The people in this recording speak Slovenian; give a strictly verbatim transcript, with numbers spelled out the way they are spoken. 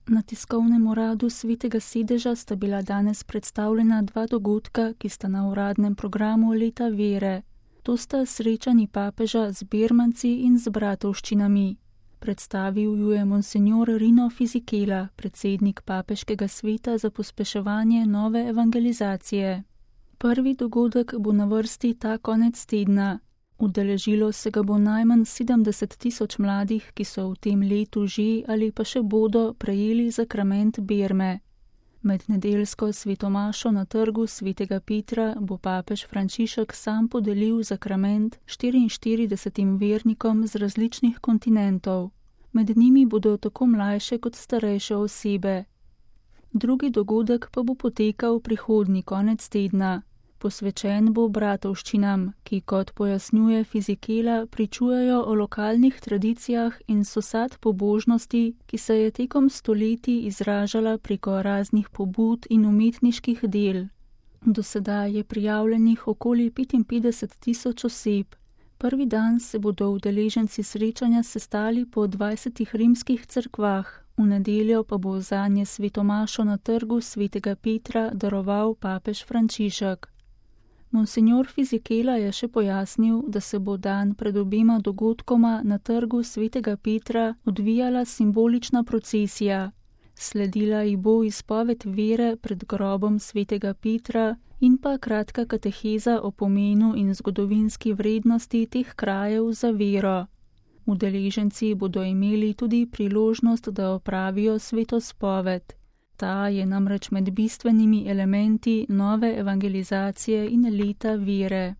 Na tiskovnem uradu Svetega sedeža sta bila danes predstavljena dva dogodka, ki sta na uradnem programu Leta vere. To sta srečanji papeža z Birmanci in z bratovščinami. Predstavil ju je monsenjor Rino Fisichella, predsednik papeškega sveta za pospeševanje nove evangelizacije. Prvi dogodek bo na vrsti ta konec tedna. Udeležilo se ga bo najmanj sedemdeset tisoč mladih, ki so v tem letu že ali pa še bodo prejeli zakrament Birme. Med nedeljsko svetomašo na trgu Svetega Petra bo papež Frančišek sam podelil zakrament štiriinštiridesetim vernikom z različnih kontinentov. Med njimi bodo tako mlajše kot starejše osebe. Drugi dogodek pa bo potekal prihodnji konec tedna. Posvečen bo bratovščinam, ki, kot pojasnjuje Fisichella, pričujejo o lokalnih tradicijah in sosad pobožnosti, ki se je tekom stoletij izražala preko raznih pobud in umetniških del. Do sedaj je prijavljenih okoli petinpetdeset tisoč oseb. Prvi dan se bodo udeleženci srečanja sestali po dvajsetih rimskih cerkvah, v nedeljo pa bo zanje svetomašo na trgu Svetega Petra daroval papež Frančišek. Monsenjor Fisichella je še pojasnil, da se bo dan pred obema dogodkoma na trgu Svetega Petra odvijala simbolična procesija. Sledila ji bo izpoved vere pred grobom Svetega Petra in pa kratka kateheza o pomenu in zgodovinski vrednosti teh krajev za vero. Udeleženci bodo imeli tudi priložnost, da opravijo svetospoved. Ta je namreč med bistvenimi elementi nove evangelizacije in leta vere.